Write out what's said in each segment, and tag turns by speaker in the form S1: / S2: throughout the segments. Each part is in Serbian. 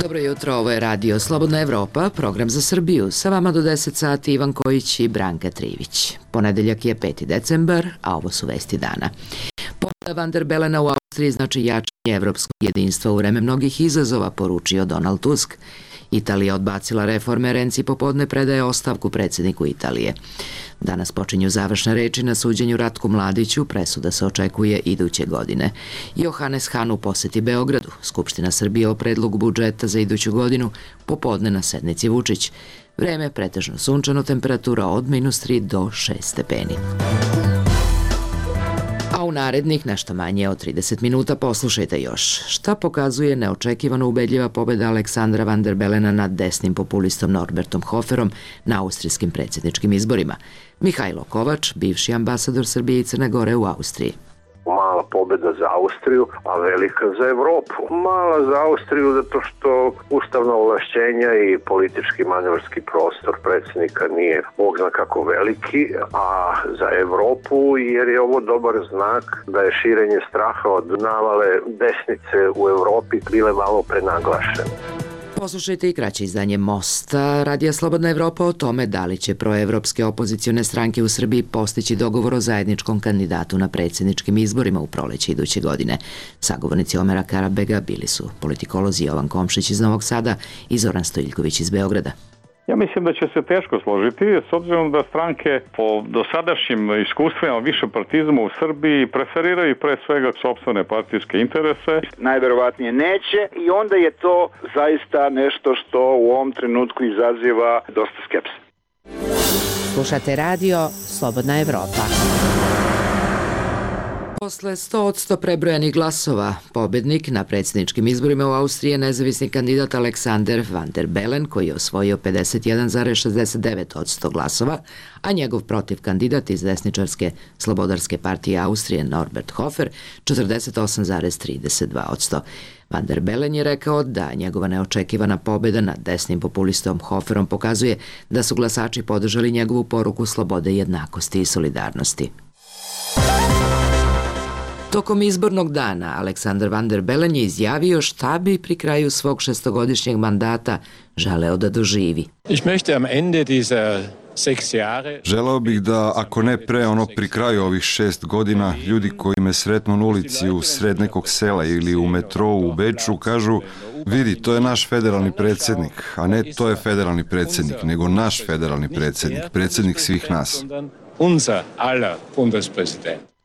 S1: Dobro jutro, ovo je radio Slobodna Evropa, program za Srbiju. Sa vama do 10 sati Ivan Kojić i Branka Trivić. Ponedeljak je 5. decembar, a ovo su vesti dana. Pobeda Van der Belena u Austriji znači jačanje evropskog jedinstva u vreme mnogih izazova, poručio Donald Tusk. Italija odbacila reforme, Renzi popodne predaje ostavku predsjedniku Italije. Danas počinju završne reči na suđenju Ratku Mladiću, presuda se očekuje iduće godine. Johannes Hahn u poseti Beogradu, Skupština Srbije o predlogu budžeta za iduću godinu, popodne na sednici Vučić. Vreme pretežno sunčano, temperatura od -3 do 6 stepeni. A u narednih nešto manje od 30 minuta poslušajte još. Šta pokazuje neočekivano ubedljiva pobjeda Aleksandra Van der Belena nad desnim populistom Norbertom Hoferom na austrijskim predsjedničkim izborima? Mihajlo Kovač, bivši ambasador Srbije i Crne Gore u Austriji.
S2: Mala pobjeda za Austriju, a velika za Evropu. Mala za Austriju zato što ustavna ovlašćenja i politički manevarski prostor predsjednika nije bog zna kako veliki, a za Evropu jer je ovo dobar znak da je širenje straha od navale desnice u Evropi bile malo prenaglašene.
S1: Poslušajte i kraće izdanje Mosta Radija Slobodna Evropa o tome da li će proevropske opozicione stranke u Srbiji postići dogovor o zajedničkom kandidatu na predsjedničkim izborima u proleće iduće godine. Sagovornici Omera Karabega bili su politikolozi Jovan Komšić iz Novog Sada i Zoran Stojiljković iz Beograda.
S3: Ja mislim da će se teško složiti, s obzirom da stranke po dosadašnjim iskustvima višepartizma u Srbiji preferiraju pre svega sopstvene partijske interese.
S4: Najverovatnije neće i onda je to zaista nešto što u ovom trenutku izaziva dosta skepse.
S5: Slušate radio Slobodna Evropa.
S1: Posle 100% prebrojanih glasova, pobednik na predsjedničkim izborima u Austriji je nezavisni kandidat Alexander Van der Bellen, koji je osvojio 51,69% glasova, a njegov protiv kandidat iz desničarske Slobodarske partije Austrije Norbert Hofer 48,32%. Van der Bellen je rekao da njegova neočekivana pobjeda nad desnim populistom Hoferom pokazuje da su glasači podržali njegovu poruku slobode, jednakosti i solidarnosti. Tokom izbornog dana Aleksandar Van der Bellen je izjavio šta bi pri kraju svog šestogodišnjeg mandata želeo da doživi.
S6: Želeo bih da, ako ne pre, pri kraju ovih 6 godina, ljudi koji me sretnu na ulici u sred nekog sela ili u metrou u Beču kažu: vidi, to je naš federalni predsjednik, a ne to je federalni predsjednik, nego naš federalni predsjednik, predsjednik svih nas.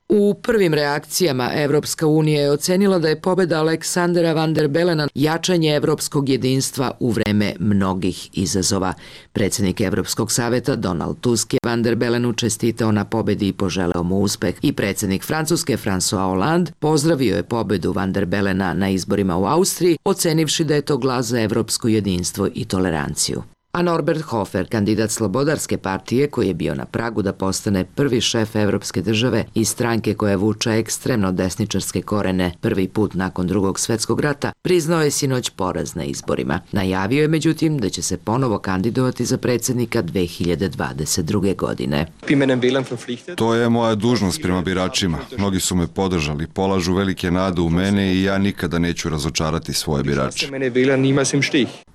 S1: U prvim reakcijama Evropska unija je ocenila da je pobjeda Aleksandra Van der Bellena jačanje evropskog jedinstva u vreme mnogih izazova. Predsjednik Evropskog saveta Donald Tusk je Van der Bellenu čestitao na pobjedi i poželeo mu uspeh. I predsjednik Francuske François Hollande pozdravio je pobjedu Van der Bellena na izborima u Austriji, ocenivši da je to glas za evropsko jedinstvo i toleranciju. A Norbert Hofer, kandidat Slobodarske partije koji je bio na pragu da postane prvi šef evropske države i stranke koja vuče ekstremno desničarske korene prvi put nakon Drugog svjetskog rata, priznao je sinoć poraz na izborima. Najavio je međutim da će se ponovo kandidovati za predsjednika 2022. godine.
S6: To je moja dužnost prema biračima. Mnogi su me podržali, polažu velike nade u mene i ja nikada neću razočarati svoje birače.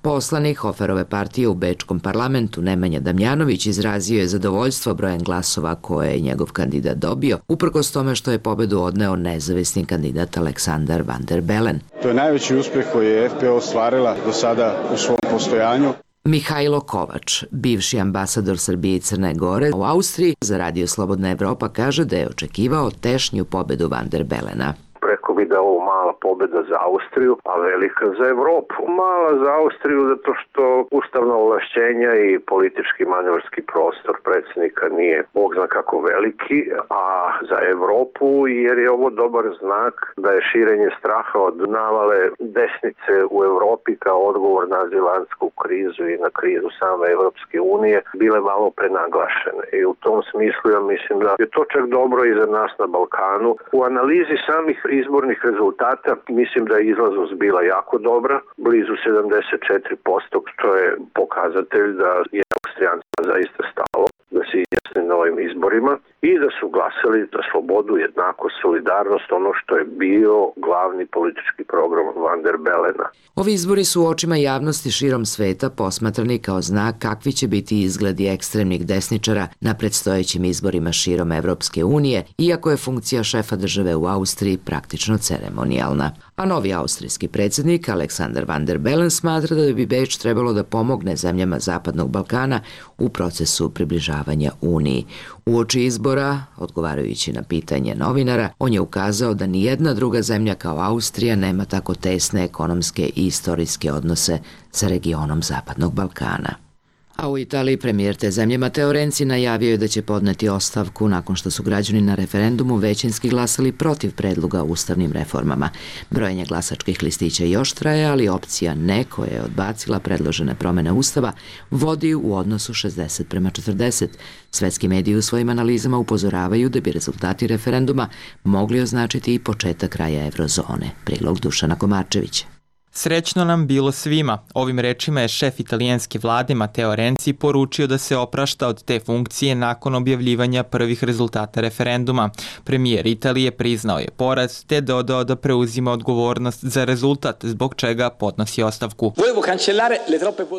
S1: Poslanik Hoferove partije u Bečkom parlamentu Nemanja Damjanović izrazio je zadovoljstvo brojem glasova koje je njegov kandidat dobio, uprkos tome što je pobedu odneo nezavisni kandidat Aleksandar Van der Bellen.
S7: To je najveći uspjeh koji je FPO ostvarila do sada u svom postojanju.
S1: Mihajlo Kovač, bivši ambasador Srbije i Crne Gore u Austriji, za Radio Slobodna Evropa kaže da je očekivao tešnju pobedu Van der Bellena.
S2: Rekao bi da je ovo mala pobjeda za Austriju, a velika za Evropu. Mala za Austriju zato što ustavna ovlašćenja i politički manevarski prostor predsjednika nije bog zna kako veliki, a za Evropu jer je ovo dobar znak da je širenje straha od navale desnice u Evropi kao odgovor na azilantsku krizu i na krizu same Evropske unije bile malo prenaglašene. I u tom smislu ja mislim da je to čak dobro i za nas na Balkanu. U analizi samih izbornih rezultata mislim da je izlaznost bila jako dobra, blizu 74%, što je pokazatelj da je Austrijancima zaista stalo da se izjasne na ovim izborima i da su glasali za slobodu, jednakost, solidarnost, ono što je bio glavni politički program Van der Belena.
S1: Ovi izbori su u očima javnosti širom sveta posmatrani kao znak kakvi će biti izgledi ekstremnih desničara na predstojećim izborima širom Evropske unije, iako je funkcija šefa države u Austriji praktično ceremonijalna. A novi austrijski predsjednik Alexander Van der Bellen smatra da bi Beč trebalo da pomogne zemljama Zapadnog Balkana u procesu približavanja Uniji. Uoči izbora, odgovarajući na pitanje novinara, on je ukazao da nijedna druga zemlja kao Austrija nema tako tesne ekonomske i istorijske odnose sa regionom Zapadnog Balkana. A u Italiji premijer te zemlje Matteo Renzi najavio je da će podneti ostavku nakon što su građani na referendumu većinski glasali protiv predloga o ustavnim reformama. Brojenje glasačkih listića još traje, ali opcija ne, koja je odbacila predložene promene ustava, vodi u odnosu 60:40. Svetski mediji u svojim analizama upozoravaju da bi rezultati referenduma mogli označiti i početak kraja eurozone. Prilog Dušana Komarčevića.
S8: Srećno nam bilo svima. Ovim rečima je šef italijanske vlade Matteo Renzi poručio da se oprašta od te funkcije nakon objavljivanja prvih rezultata referenduma. Premijer Italije priznao je poraz te dodao da preuzima odgovornost za rezultat, zbog čega podnosi ostavku.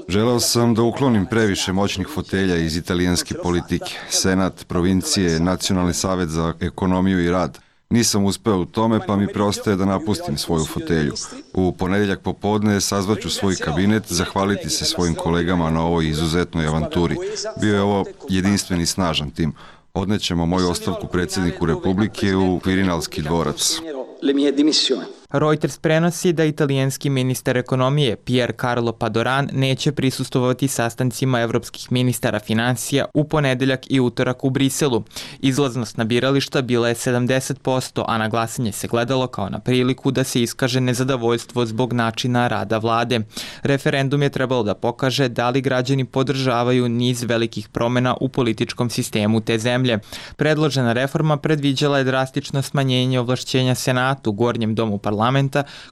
S6: Želeo sam da uklonim previše moćnih fotelja iz italijanske politike. Senat, provincije, Nacionalni savet za ekonomiju i rad. Nisam uspeo u tome, pa mi preostaje da napustim svoju fotelju. U ponedeljak popodne sazvaću svoj kabinet, zahvaliti se svojim kolegama na ovoj izuzetnoj avanturi. Bio je ovo jedinstven i snažan tim. Odnećemo moju ostavku predsjedniku Republike u Kvirinalski dvorac.
S8: Reuters prenosi da italijanski ministar ekonomije Pier Carlo Padoran neće prisustvovati sastancima evropskih ministara financija u ponedeljak i utorak u Briselu. Izlaznost na birališta bila je 70%, a na glasanje se gledalo kao na priliku da se iskaže nezadovoljstvo zbog načina rada vlade. Referendum je trebalo da pokaže da li građani podržavaju niz velikih promjena u političkom sistemu te zemlje. Predložena reforma predviđala je drastično smanjenje ovlašćenja Senatu, gornjem domu parlamenta,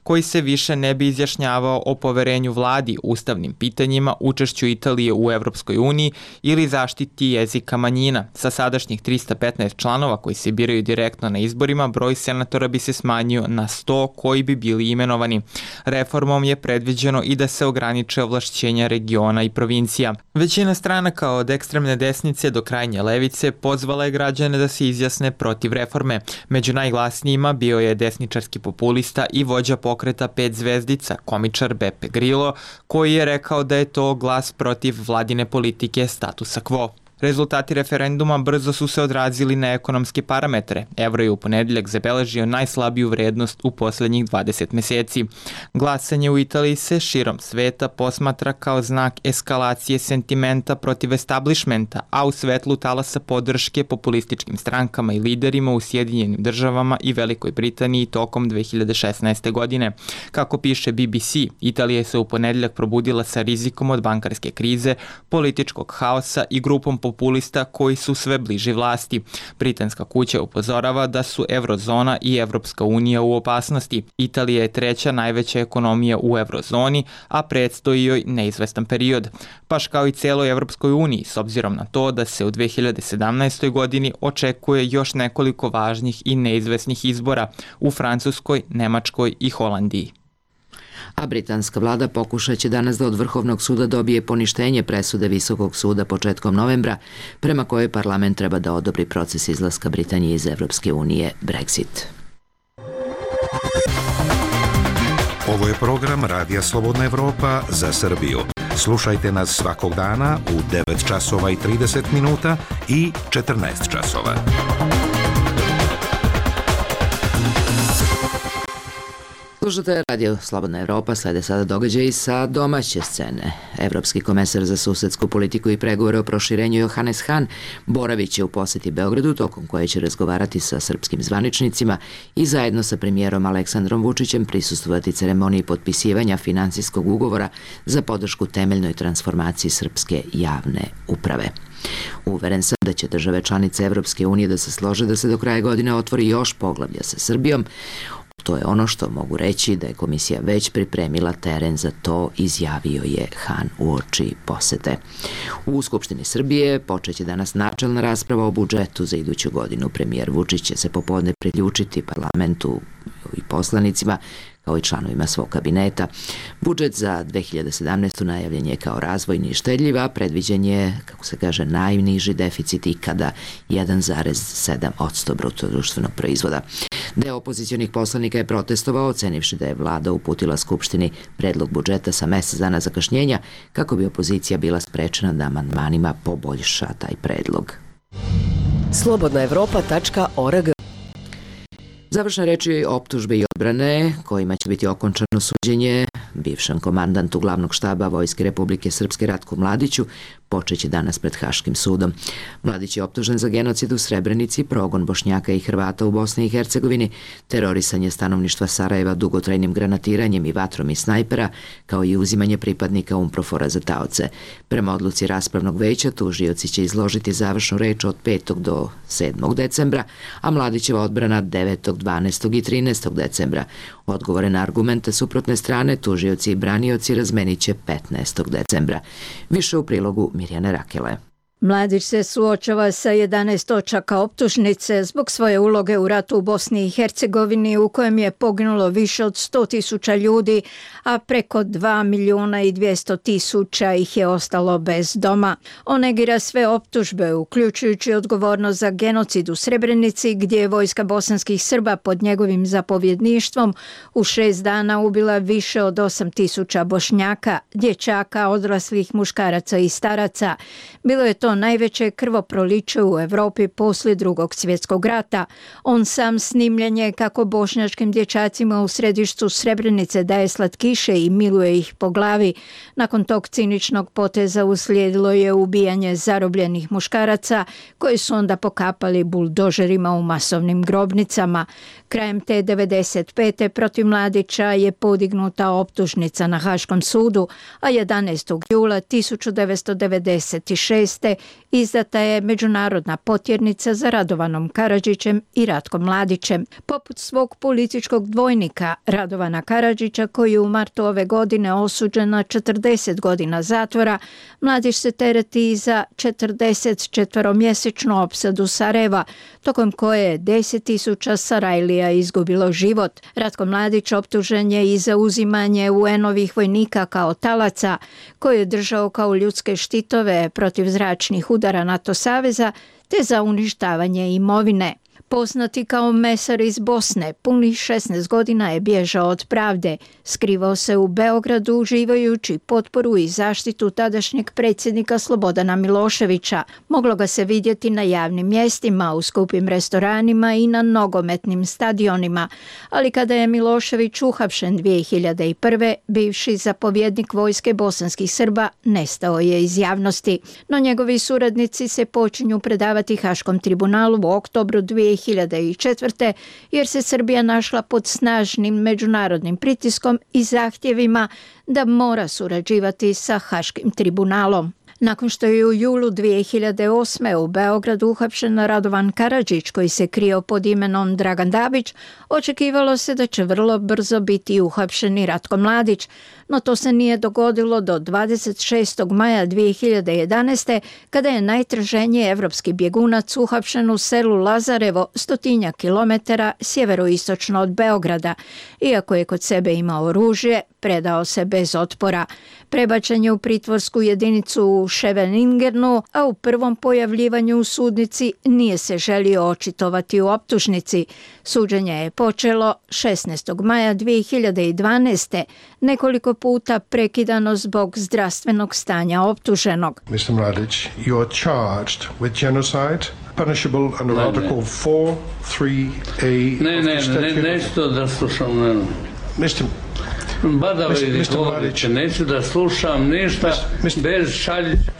S8: koji se više ne bi izjašnjavao o poverenju vladi, ustavnim pitanjima, učešću Italije u Evropskoj uniji ili zaštiti jezika manjina. Sa sadašnjih 315 članova koji se biraju direktno na izborima, broj senatora bi se smanjio na 100 koji bi bili imenovani. Reformom je predviđeno i da se ograniče ovlašćenja regiona i provincija. Većina stranaka od ekstremne desnice do krajnje levice pozvala je građane da se izjasne protiv reforme. Među najglasnijima bio je desničarski populista i vođa pokreta 5 zvezdica, komičar Beppe Grillo, koji je rekao da je to glas protiv vladine politike statusa quo. Rezultati referenduma brzo su se odrazili na ekonomske parametre. Evro je u ponedeljak zabeležio najslabiju vrednost u posljednjih 20 mjeseci. Glasanje u Italiji se širom sveta posmatra kao znak eskalacije sentimenta protiv establishmenta, a u svetlu talasa podrške populističkim strankama i liderima u Sjedinjenim državama i Velikoj Britaniji tokom 2016. godine. Kako piše BBC, Italija se u ponedeljak probudila sa rizikom od bankarske krize, političkog haosa i grupom populista koji su sve bliži vlasti. Britanska kuća upozorava da su Eurozona i Evropska unija u opasnosti. Italija je treća najveća ekonomija u Eurozoni, a predstoji joj neizvestan period. Baš kao i celoj Evropskoj uniji, s obzirom na to da se u 2017. godini očekuje još nekoliko važnih i neizvesnih izbora u Francuskoj, Nemačkoj i Holandiji.
S1: A britanska vlada pokušat će danas da od Vrhovnog suda dobije poništenje presude Visokog suda početkom novembra, prema kojoj parlament treba da odobri proces izlaska Britanije iz Evropske unije, Brexit.
S9: Ovo je program Radija Slobodna Evropa za Srbiju. Slušajte nas svakog dana u 9 časova i 30 minuta i 14 časova.
S1: Slušate Radio Slobodna Evropa, slede sada događaji sa domaće scene. Evropski komesar za susedsku politiku i pregovore o proširenju Johannes Hahn boravit će u posjeti Beogradu, tokom koje će razgovarati sa srpskim zvaničnicima i zajedno sa premijerom Aleksandrom Vučićem prisustvovati ceremoniji potpisivanja finansijskog ugovora za podršku temeljnoj transformaciji srpske javne uprave. Uveren sam da će države članice Evropske unije da se slože da se do kraja godine otvori još poglavlja sa Srbijom. To je ono što mogu reći da je komisija već pripremila teren za to, izjavio je Han uoči posete. U Skupštini Srbije počeće danas načelna rasprava o budžetu za iduću godinu. Premijer Vučić će se popodne priključiti parlamentu i poslanicima kao i članovima svog kabineta. Budžet za 2017. najavljen je kao razvojni i štedljiv, a predviđen je, kako se kaže, najniži deficit ikada 1,7% bruto društvenog proizvoda. Deo opozicionih poslanika je protestovao, ocenivši da je vlada uputila Skupštini predlog budžeta sa mesec dana zakašnjenja kako bi opozicija bila sprečena da amandmanima poboljša taj predlog.
S10: Slobodnaevropa.org.
S1: Završne reči optužbe i odbrane kojima će biti okončano suđenje bivšem komandantu glavnog štaba Vojske Republike Srpske Ratku Mladiću počeće danas pred Haškim sudom. Mladić je optužen za genocid u Srebrenici, progon Bošnjaka i Hrvata u Bosni i Hercegovini, terorisanje stanovništva Sarajeva dugotrajnim granatiranjem i vatrom iz snajpera, kao i uzimanje pripadnika UNPROFOR-a za taoce. Prema odluci raspravnog veća, tužioci će izložiti završnu reč od 5. do 7. decembra, a Mladićeva odbrana 9., 12. i 13. decembra. Odgovore na argumente suprotne strane tužioci i branioci razmenit će 15. decembra. Više u prilogu Mirjane Rakele.
S11: Mladić se suočava sa 11 točaka optužnice zbog svoje uloge u ratu u Bosni i Hercegovini u kojem je poginulo više od 100.000 ljudi, a preko 2.200.000 ih je ostalo bez doma. On negira sve optužbe, uključujući odgovornost za genocid u Srebrenici, gdje je vojska bosanskih Srba pod njegovim zapovjedništvom u 6 dana ubila više od 8.000 Bošnjaka, dječaka, odraslih muškaraca i staraca. Bilo je to najveće krvoproliće u Evropi poslije Drugog svjetskog rata. On sam snimljen je kako bošnjačkim dječacima u središtu Srebrenice daje slatkiše i miluje ih po glavi. Nakon tog ciničnog poteza uslijedilo je ubijanje zarobljenih muškaraca koji su onda pokapali buldožerima u masovnim grobnicama. Krajem te 95. protiv Mladića je podignuta optužnica na Haškom sudu, a 11. jula 1996. izdata je međunarodna potjernica za Radovanom Karadžićem i Ratkom Mladićem. Poput svog političkog dvojnika Radovana Karadžića, koji je u martu ove godine osuđen na 40 godina zatvora, Mladić se tereti za 44-mjesečnu opsadu Sarajeva, tokom koje je 10.000 Sarajlija izgubilo život. Ratko Mladić optužen je i za uzimanje UN-ovih vojnika kao talaca, koje je držao kao ljudske štitove protiv zračnih udara NATO saveza, te za uništavanje imovine. Poznati kao mesar iz Bosne, punih 16 godina je bježao od pravde. Skrivao se u Beogradu uživajući potporu i zaštitu tadašnjeg predsjednika Slobodana Miloševića. Moglo ga se vidjeti na javnim mjestima, u skupim restoranima i na nogometnim stadionima. Ali kada je Milošević uhapšen 2001. bivši zapovjednik vojske bosanskih Srba nestao je iz javnosti. No njegovi suradnici se počinju predavati Haškom tribunalu u oktobru 2004. jer se Srbija našla pod snažnim međunarodnim pritiskom i zahtjevima da mora surađivati sa Haškim tribunalom. Nakon što je u julu 2008. u Beogradu uhapšen Radovan Karadžić, koji se krio pod imenom Dragan Dabić, očekivalo se da će vrlo brzo biti uhapšen i Ratko Mladić, no to se nije dogodilo do 26. maja 2011. kada je najtraženiji evropski bjegunac uhapšen u selu Lazarevo, 100 kilometara sjeveroistočno od Beograda. Iako je kod sebe imao oružje, predao se bez otpora. Prebačen je u pritvorsku jedinicu u Scheveningernu, a u prvom pojavljivanju u sudnici nije se želio očitovati u optužnici. Suđenje je počelo 16. maja 2012. nekoliko puta prekidano zbog zdravstvenog stanja optuženog.
S12: Mr. Mladić, you are charged with genocide, punishable under Article 4.3a.
S13: Neću da slušam.
S12: Mr.
S13: Neću da slušam ništa bez Šaljića.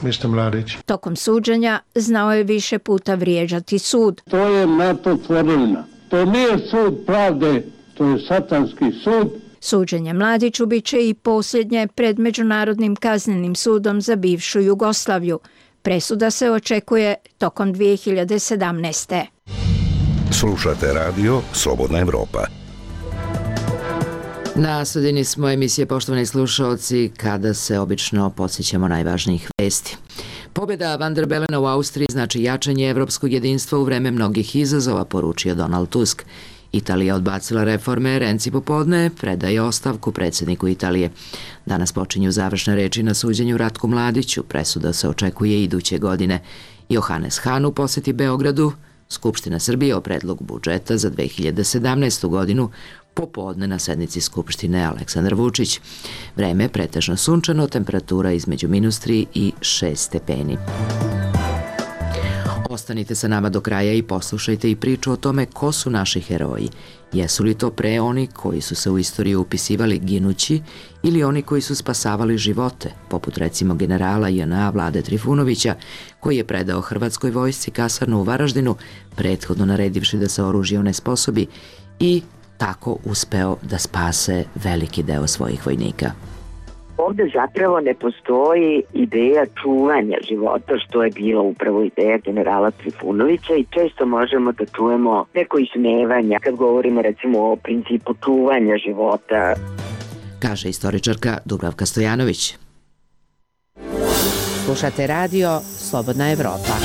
S12: Mr. Mladić.
S11: Tokom suđenja znao je više puta vrijeđati sud.
S14: To je NATO tvorevina. To nije sud pravde, to je satanski sud.
S11: Suđenje Mladiću bit će i posljednje pred Međunarodnim kaznenim sudom za bivšu Jugoslaviju. Presuda se očekuje tokom 2017.
S9: Slušate radio Slobodna Evropa.
S1: Na sredini smo emisije, poštovani slušalci, kada se obično podsjećamo najvažnijih vesti. Pobjeda Van der Belena u Austriji znači jačanje evropskog jedinstva u vreme mnogih izazova, poručio Donald Tusk. Italija odbacila reforme, Renzi popodne predaje ostavku predsjedniku Italije. Danas počinju završne reči na suđenju Ratku Mladiću, presuda se očekuje iduće godine. Johannes Hahn u posjeti Beogradu, Skupština Srbije o predlogu budžeta za 2017. godinu, popodne na sednici Skupštine Aleksandar Vučić. Vreme pretežno sunčano, temperatura između -3 i 6 stepeni. Ostanite sa nama do kraja i poslušajte i priču o tome ko su naši heroji. Jesu li to pre oni koji su se u istoriju upisivali ginući ili oni koji su spasavali živote, poput recimo generala JNA Vlade Trifunovića, koji je predao Hrvatskoj vojsci kasarnu u Varaždinu, prethodno naredivši da se oružje onesposobi i tako uspeo da spase veliki deo svojih vojnika.
S10: Ovde zapravo ne postoji ideja čuvanja života, što je bila upravo ideja generala Trifunovića, i često možemo da čujemo neko ismevanja kad govorimo recimo o principu čuvanja života.
S1: Kaže istoričarka Dubravka Stojanović.
S5: Slušate radio Slobodna Evropa.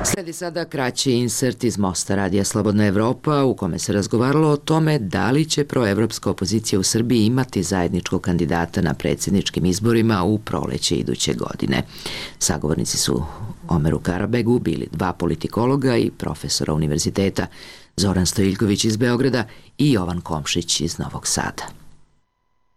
S1: Sledi sada kraći insert iz Mosta radija Slobodna Evropa u kome se razgovaralo o tome da li će proevropska opozicija u Srbiji imati zajedničkog kandidata na predsjedničkim izborima u proleće iduće godine. Sagovornici su Omeru Karabegu bili 2 politikologa i profesora univerziteta, Zoran Stojiljković iz Beograda i Jovan Komšić iz Novog Sada.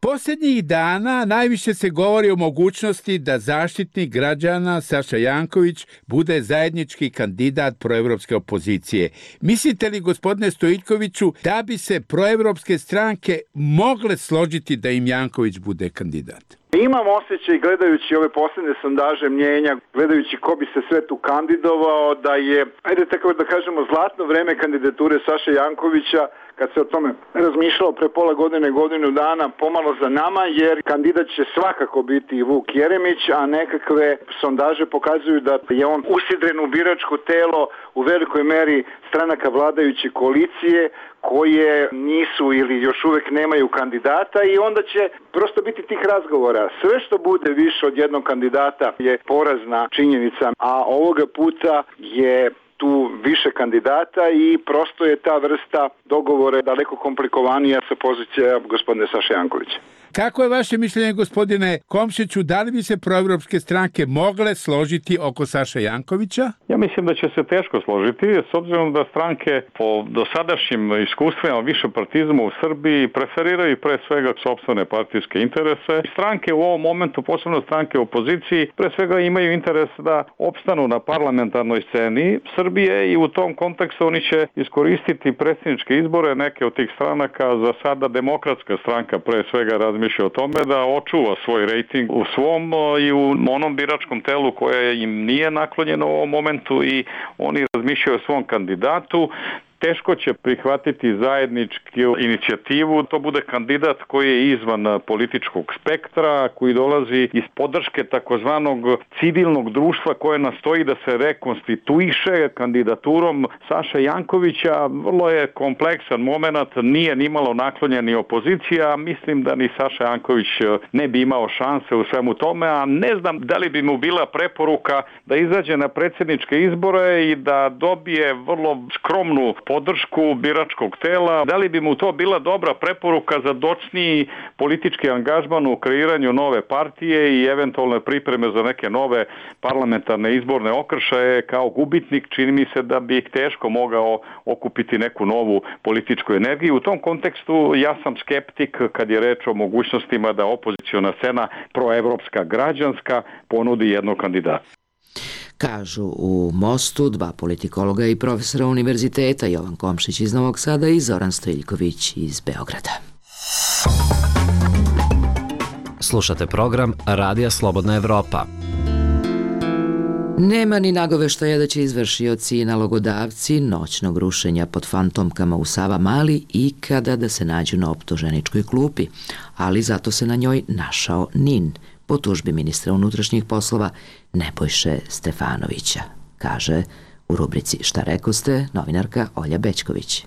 S15: Posljednjih dana najviše se govori o mogućnosti da zaštitnik građana Saša Janković bude zajednički kandidat proevropske opozicije. Mislite li, gospodine Stojiljkoviću, da bi se proevropske stranke mogle složiti da im Janković bude kandidat?
S4: Imam osjećaj, gledajući ove posljednje sondaže mnjenja, gledajući ko bi se sve tu kandidovao, da je, ajde tako da kažemo, zlatno vreme kandidature Saše Jankovića, kad se o tome razmišljalo pre pola godine, godinu dana, pomalo za nama, jer kandidat će svakako biti i Vuk Jeremić, a nekakve sondaže pokazuju da je on usidren u biračko telo u velikoj meri stranaka vladajuće koalicije, koje nisu ili još uvek nemaju kandidata, i onda će prosto biti tih razgovora. Sve što bude više od jednog kandidata je porazna činjenica, a ovoga puta je tu više kandidata i prosto je ta vrsta dogovora daleko komplikovanija sa pozicija gospodine Saše Jankovića.
S15: Kako je vaše mišljenje, gospodine Komšiću, da li bi se proevropske stranke mogle složiti oko Saše Jankovića?
S3: Ja mislim da će se teško složiti, s obzirom da stranke po dosadašnjim iskustvima višepartizma u Srbiji preferiraju pre svega sopstvene partijske interese. Stranke u ovom momentu, posebno stranke u opoziciji, pre svega imaju interes da opstanu na parlamentarnoj sceni Srbije i u tom kontekstu oni će iskoristiti predsjedničke izbore. Neke od tih stranaka, za sada Demokratska stranka pre svega razmišlja o tome da očuva svoj rejting u svom i u onom biračkom telu koje im nije naklonjeno u ovom momentu, i oni razmišljaju o svom kandidatu. Teško će prihvatiti zajedničku inicijativu, to bude kandidat koji je izvan političkog spektra, koji dolazi iz podrške takozvanog civilnog društva koje nastoji da se rekonstituiše. Kandidaturom Saše Jankovića vrlo je kompleksan moment, nije nimalo naklonjen ni opozicija, mislim da ni Saša Janković ne bi imao šanse u svemu tome, a ne znam da li bi mu bila preporuka da izađe na predsjedničke izbore i da dobije vrlo skromnu podršku biračkog tela. Da li bi mu to bila dobra preporuka za docniji politički angažman u kreiranju nove partije i eventualne pripreme za neke nove parlamentarne izborne okršaje kao gubitnik? Čini mi se da bi teško mogao okupiti neku novu političku energiju. U tom kontekstu ja sam skeptik kad je reč o mogućnostima da opoziciona scena proevropska građanska ponudi jednog kandidata.
S1: Kažu u Mostu 2 politikologa i profesora univerziteta, Jovan Komšić iz Novog Sada i Zoran Stojiljković iz Beograda.
S16: Slušate program Radija Slobodna Evropa.
S1: Nema ni nagoveštaja da će izvršioci i nalogodavci noćnog rušenja pod fantomkama u Savamali ikada da se nađu na optuženičkoj klupi, ali zato se na njoj našao NIN, po tužbi ministra unutrašnjih poslova Nebojše Stefanovića, kaže U rubrici Šta rekoste, novinarka Olja Bećković.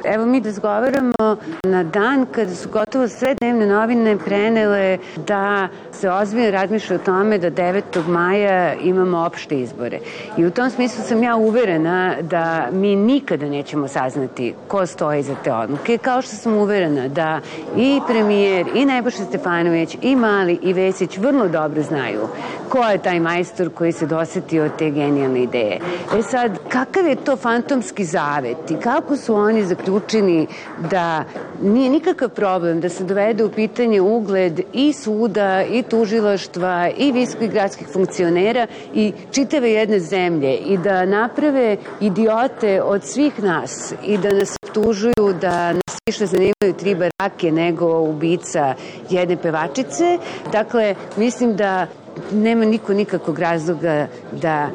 S17: Evo mi razgovaramo na dan kada su gotovo sve dnevne novine prenele da se ozbiljno razmišlja o tome da 9. maja imamo opšte izbore. I u tom smislu sam ja uverena da mi nikada nećemo saznati ko stoji za te odluke, kao što sam uverena da i premijer, i Nebojša Stefanović, i Mali, i Vesić vrlo dobro znaju ko je taj majstor koji se dosetio od te genijalne ideje. E sad, kakav je to fantomski zavet i kako su oni zaključeni da nije nikakav problem da se dovede u pitanje ugled i suda, i tužilaštva, i visokih gradskih funkcionera i čitave jedne zemlje i da naprave idiote od svih nas i da nas optužuju da nas više zanimaju 3 barake nego ubica jedne pevačice. Dakle, mislim da nema niko nikakvog razloga da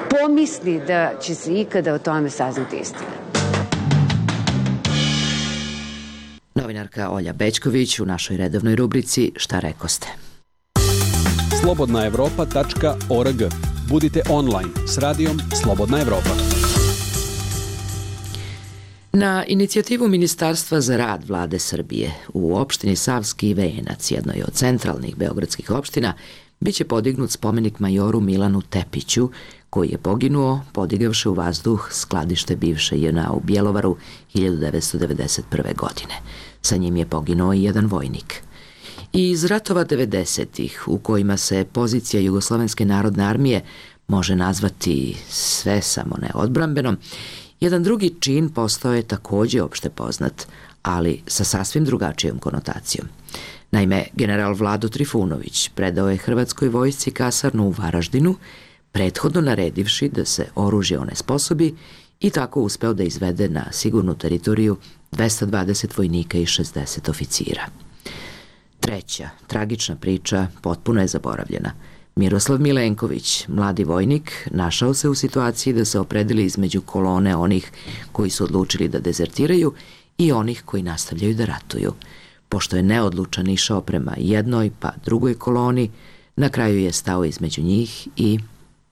S17: pomisli da će se ikada o tome saznati istina.
S1: Novinarka Olja Bećković u našoj redovnoj rubrici Šta rekoste.
S18: slobodnaevropa.org. Budite online s radijom Slobodna Evropa.
S1: Na inicijativu Ministarstva za rad Vlade Srbije u opštini Savski Venac, jednoj od centralnih beogradskih opština, biće podignut spomenik majoru Milanu Tepiću, koji je poginuo podigavši u vazduh skladište bivše JNA u Bjelovaru 1991. godine. Sa njim je poginuo i jedan vojnik. I iz ratova 90-ih, u kojima se pozicija Jugoslovenske narodne armije može nazvati sve samo ne odbrambenom, jedan drugi čin postao je takođe opšte poznat, ali sa sasvim drugačijom konotacijom. Naime, general Vlado Trifunović predao je Hrvatskoj vojsci kasarnu u Varaždinu, prethodno naredivši da se oružje onesposobi i tako uspeo da izvede na sigurnu teritoriju 220 vojnika i 60 oficira. Treća, tragična priča potpuno je zaboravljena. Miroslav Milenković, mladi vojnik, našao se u situaciji da se opredeli između kolone onih koji su odlučili da dezertiraju i onih koji nastavljaju da ratuju. Pošto je neodlučan išao prema jednoj pa drugoj koloni, na kraju je stao između njih i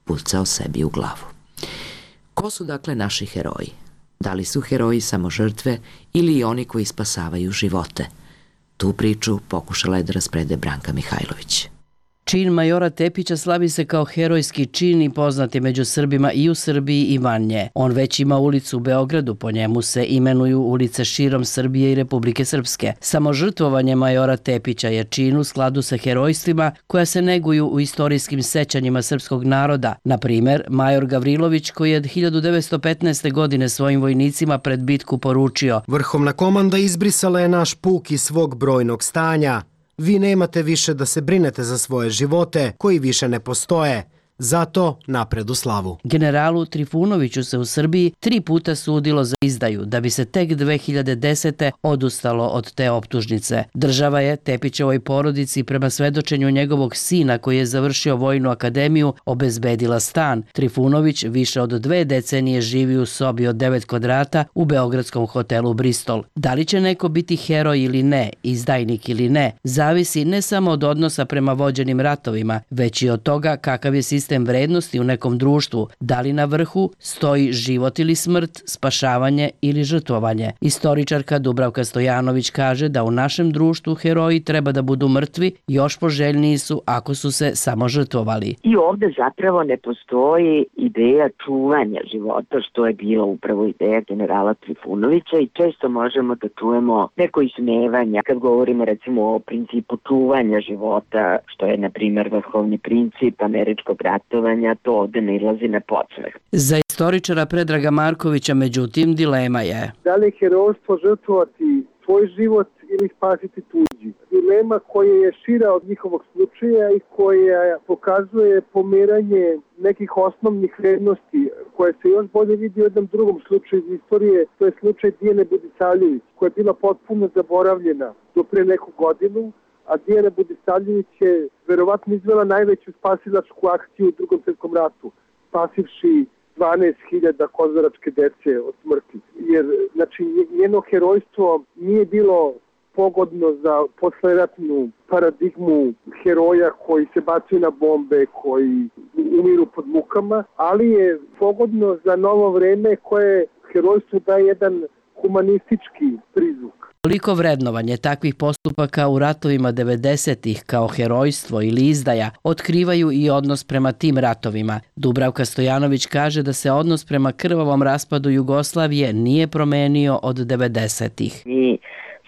S1: pucao sebi u glavu. Ko su dakle naši heroji? Da li su heroji samo žrtve ili i oni koji spasavaju živote? Tu priču pokušala je da rasprede Branka Mihajlović.
S19: Čin majora Tepića slavi se kao herojski čin i poznat je među Srbima i u Srbiji i van nje. On već ima ulicu u Beogradu, po njemu se imenuju ulice širom Srbije i Republike Srpske. Samo žrtvovanje majora Tepića je čin u skladu sa herojstvima koja se neguju u istorijskim sećanjima srpskog naroda. Na primer, major Gavrilović koji je 1915. godine svojim vojnicima pred bitku poručio:
S20: Vrhovna komanda izbrisala je naš puk iz svog brojnog stanja. Vi nemate više da se brinete za svoje živote, koji više ne postoje. Zato napred u slavu.
S19: Generalu Trifunoviću se u Srbiji 3 puta sudilo za izdaju, da bi se tek 2010. odustalo od te optužnice. Država je Tepićevoj porodici prema svedočenju njegovog sina koji je završio vojnu akademiju obezbedila stan. Trifunović više od 2 decenije živi u sobi od 9 kvadrata u beogradskom hotelu Bristol. Da li će neko biti heroj ili ne, izdajnik ili ne, zavisi ne samo od odnosa prema vođenim ratovima, već i od toga kakav je sistem vrednosti u nekom društvu, da li na vrhu stoji život ili smrt, spašavanje ili žrtvovanje. Istoričarka Dubravka Stojanović kaže da u našem društvu heroji treba da budu mrtvi, još poželjniji su ako su se samo žrtvovali.
S10: I ovde zapravo ne postoji ideja čuvanja života, što je bila upravo ideja generala Trifunovića i često možemo da čujemo neko ismevanja kad govorimo recimo o principu čuvanja života, što je na primjer vrhovni princip američkog ratovanja, to ovde ne ilazi na podsmeh.
S19: Za istoričara Predraga Markovića, međutim, dilema je:
S21: da li je herojstvo žrtvovati svoj život ili spasiti tuđi? Dilema koja je šira od njihovog slučaja i koja pokazuje pomeranje nekih osnovnih vrednosti koje se još bolje vidi u jednom drugom slučaju iz istorije, to je slučaj Dijane Budisavljević, koja je bila potpuno zaboravljena do pre neku godinu, a Dijana Budisavljević je verovatno izvela najveću spasilačku akciju u Drugom svjetskom ratu, spasivši 12.000 kozaračke dece od smrti. Jer, znači, njeno herojstvo nije bilo pogodno za posleratnu paradigmu heroja koji se bacaju na bombe, koji umiru pod mukama, ali je pogodno za novo vreme koje herojstvu daje jedan humanistički prizvuk.
S19: Toliko vrednovanje takvih postupaka u ratovima 90-ih kao herojstvo ili izdaja otkrivaju i odnos prema tim ratovima. Dubravka Stojanović kaže da se odnos prema krvavom raspadu Jugoslavije nije promenio od 90-ih.
S10: Mi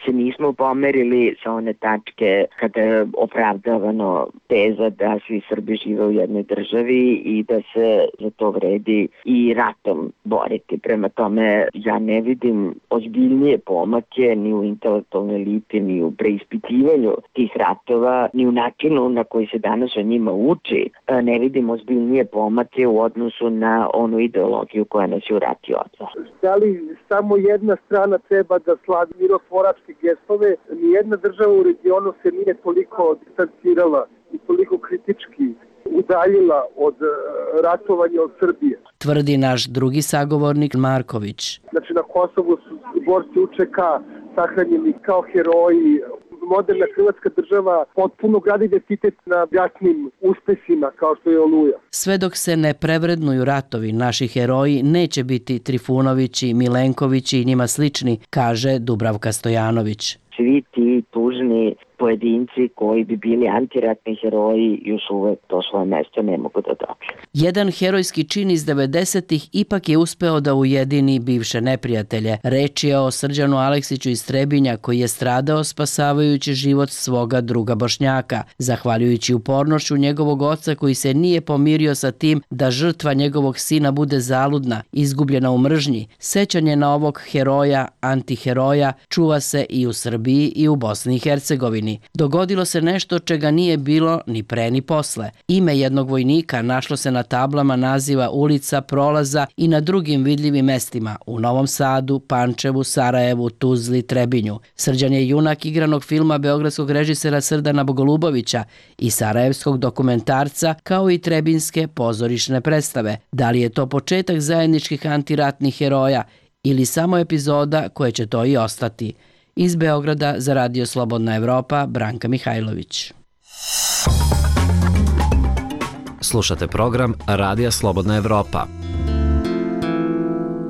S10: se nismo pomerili sa one tačke kada je opravdavano teza da svi Srbi žive u jednoj državi i da se za to vredi i ratom boriti. Prema tome, ja ne vidim ozbiljnije pomake ni u intelektualnoj eliti, ni u preispitivanju tih ratova, ni u načinu na koji se danas o njima uči. Ne vidim ozbiljnije pomake u odnosu na onu ideologiju koja nas je u rati odvela.
S21: Da li samo jedna strana treba da slavi mirotvoračke gestove? Nijedna država u regionu se nije toliko distancirala i toliko kritički udaljila od ratovanja od Srbije.
S19: Tvrdi naš drugi sagovornik Marković.
S21: Znači na Kosovu su borci UČK sahranjeni kao heroji. Moderna hrvatska država potpuno gradi identitet na ratnim uspesima kao što je Oluja.
S19: Sve dok se ne prevrednuju ratovi, naši heroji neće biti Trifunovići, Milenkovići i njima slični, kaže Dubravka Stojanović.
S10: Svi ti tužni pojedinci koji bi bili antiratni heroji još uvek to svoje mesto ne mogu da dobiju.
S19: Jedan herojski čin iz 90-ih ipak je uspeo da ujedini bivše neprijatelje. Reč je o Srđanu Aleksiću iz Trebinja koji je stradao spasavajući život svoga druga Bošnjaka, zahvaljujući upornošću njegovog oca koji se nije pomirio sa tim da žrtva njegovog sina bude zaludna, izgubljena u mržnji. Sećanje na ovog heroja, antiheroja, čuva se i u Srbiji i u Bosni i Hercegovini. Dogodilo se nešto čega nije bilo ni pre ni posle. Ime jednog vojnika našlo se na tablama naziva ulica, prolaza i na drugim vidljivim mestima u Novom Sadu, Pančevu, Sarajevu, Tuzli, Trebinju. Srđan je junak igranog filma beogradskog režisera Srdana Bogolubovića i sarajevskog dokumentarca kao i trebinske pozorišne predstave. Da li je to početak zajedničkih antiratnih heroja ili samo epizoda koje će to i ostati? Iz Beograda za Radio Slobodna Evropa, Branka Mihajlović.
S16: Slušate program Radija Slobodna Evropa.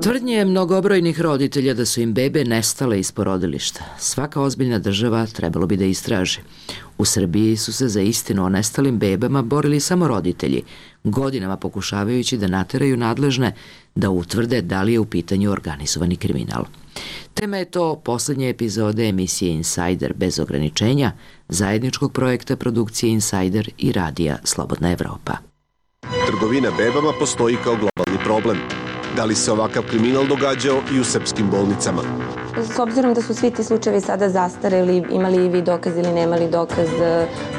S1: Tvrdnje mnogobrojnih roditelja da su im bebe nestale iz porodilišta. Svaka ozbiljna država trebalo bi da istraži. U Srbiji su se za istinu o nestalim bebama borili samo roditelji, godinama pokušavajući da nateraju nadležne da utvrde da li je u pitanju organizovani kriminal. Tema je to poslednje epizode emisije Insider bez ograničenja, zajedničkog projekta produkcije Insider i radija Slobodna Evropa.
S7: Trgovina bebama postoji kao globalni problem. Da li se ovakav kriminal događao i u srpskim bolnicama?
S22: S obzirom da su svi ti slučajevi sada zastareli, imali vi dokaz ili nemali dokaz,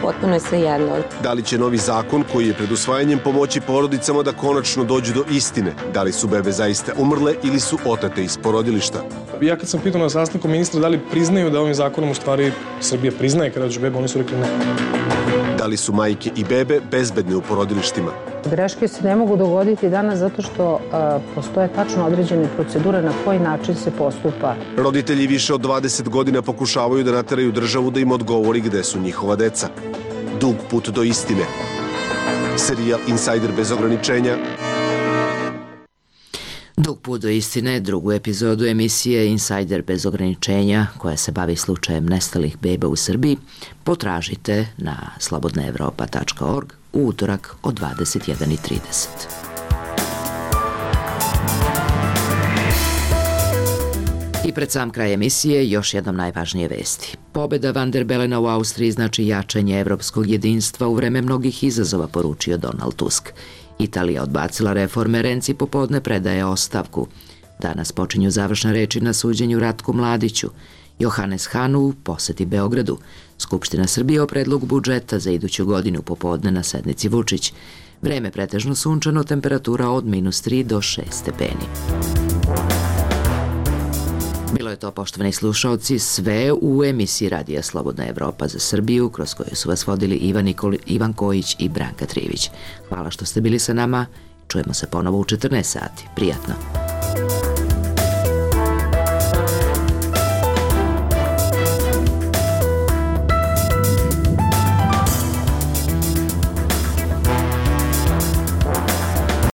S22: potpuno je sve jedno.
S7: Da li će novi zakon koji je pred usvajanjem pomoći porodicama da konačno dođu do istine? Da li su bebe zaista umrle ili su otate iz porodilišta?
S23: Ja kad sam pitao na sastanku ministra da li priznaju da ovim zakonom u stvari Srbija priznaje kada dođu bebe, oni su rekli ne.
S7: Da li su majke i bebe bezbedne u porodilištima?
S24: Greške se ne mogu dogoditi danas zato što postoje tačno određene procedure na koji način se postupa.
S7: Roditelji više od 20 godina pokušavaju da nateraju državu da im odgovori gde su njihova deca. Dug put do istine. Serijal Insider bez ograničenja.
S1: Dug put do istine, drugu epizodu emisije Insider bez ograničenja, koja se bavi slučajem nestalih beba u Srbiji, potražite na slobodnaevropa.org u utorak od 21:30. I pred sam kraj emisije još jednom najvažnije vesti. Pobeda Van der Belena u Austriji znači jačanje evropskog jedinstva u vreme mnogih izazova, poručio Donald Tusk. Italija odbacila reforme, Renci popodne predaje ostavku. Danas počinju završne reči na suđenju Ratku Mladiću. Johannes Hahn u poseti Beogradu. Skupština Srbije o predlogu budžeta za iduću godinu popodne na sednici Vučić. Vreme pretežno sunčano, temperatura od -3 do 6 stepeni. Bilo je to, poštovani slušaoci, sve u emisiji Radija Slobodna Evropa za Srbiju, kroz koju su vas vodili Ivan Kojić i Branka Trivić. Hvala što ste bili sa nama. Čujemo se ponovo u 14 sati. Prijatno.